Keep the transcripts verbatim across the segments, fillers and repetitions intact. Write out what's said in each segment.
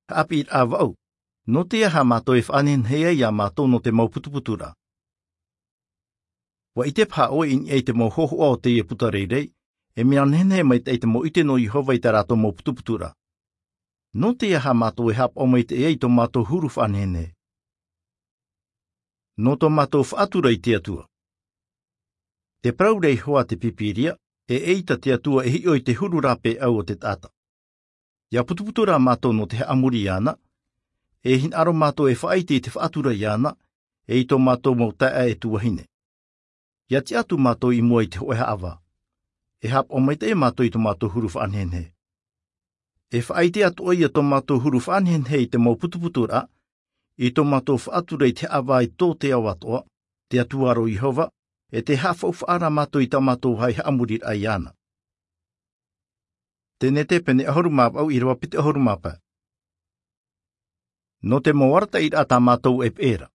Haʻapiʻiraʻa vaʻu. Nō te aha mātou e faʻanehenehe ai iā mātou nō te mau putuputuraʻa? Ua ʻite paha ʻoe i niʻa i te mau hōhoʻa o teie puta rairai, e mea nehenehe maitaʻi te mau ʻite nō Iehova i tā rātou mau putuputuraʻa. Nō te aha mātou e haʻapaʻo maitaʻi ai i tō mātou huru faʻanehenehe? Nō tō mātou faʻatura i te Atua. Te parau ra Iehova a te Pīpīria, e ʻeita te Atua e hiʻo i te huru rāpae ʻau o te taʻata. ʻIa putuputu rā mātou nō te haʻamori iāna, e hinaʻaro mātou e faʻaʻite i te faʻatura iāna, e i tō mātou mau taeaʻe e tuahine. ʻIa tiʻa atu mātou i mua i te hōʻē haʻavā. E haʻapaʻo maitaʻi mātou i tō mātou huru faʻanehenehe. E faʻaʻite atoʻa ïa tō mātou huru faʻanehenehe i te mau putuputuraʻa, i tō mātou faʻatura i te haʻavā i tō te ao atoʻa, te Atua ra ʻo Iehova, e tē haʻafaufaʻa ra mātou i tā mātou vāhi haʻamoriraʻa iāna. Tenete pene ʻahuru mā vaʻu ʻīrava piti ʻahuru mā pae. Nō te mau arataʻiraʻa tā mātou e peʻe ra.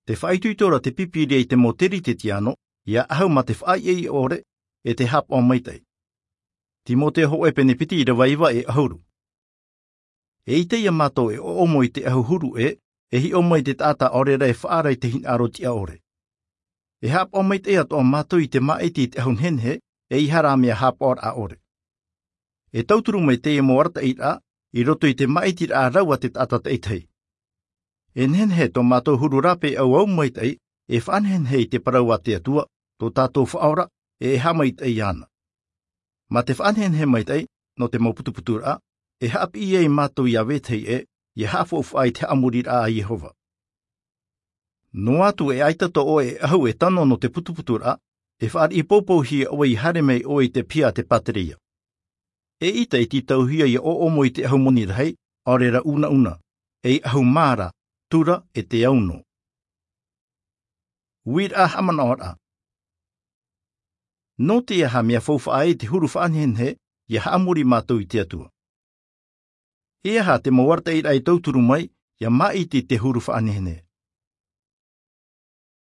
Tē faʻaitoito ra te Pīpīria i te mau Kerisetiano, ʻia ʻahu mā te faʻaʻeiʻei ʻore, e te haʻapaʻo maitaʻi. Timoteo hōʻē pene piti ʻīrava iva e ʻahuru. E ʻite ïa mātou e ʻoʻomo i te ʻahu huru ʻē, e hiʻo mai te taʻata ʻaore rā e faʻaara i te hinaʻaro tiʻa ʻore. E haʻapaʻo maitaʻi atoʻa mātou i te māʻiti i te ʻahu nehenehe, ʻeiaha rā mea haʻapaʻoraʻa ʻore. E tauturu mai teie mau arataʻiraʻa, i roto i te māʻitiraʻa rau a te taʻata taʻitahi. E nehenehe tō mātou huru rāpae ʻau maitaʻi, e faʻanehenehe i te parau a te Atua, tō tātou Faʻaora, e e haʻamaitaʻi iāna. Mā te faʻanehenehe maitaʻi, nō te mau putuputuraʻa, e haʻapiʻi ai mātou iā vetahi ʻē, ʻia haʻafaufaʻa i te haʻamoriraʻa a Iehova. Noa atu e ʻaita tō ʻoe ʻahu e tano nō te putuputuraʻa, e faʻariʻi poupouhia ʻoe ʻia haere mai ʻoe i te piha a te pātereia. Eʻita e tītauhia ʻia ʻoʻomo i te ʻahu moni rahi, ʻaore rā unauna, ei ʻahu mā ra, tura e te au nō. Uiraʻa haʻamanaʻoraʻa. Nō te aha mea faufaʻa ai te huru faʻanehenehe, ʻia haʻamori mātou i te Atua? E aha te mau arataʻiraʻa e tauturu mai, ʻia māʻiti i te huru faʻanehenehe?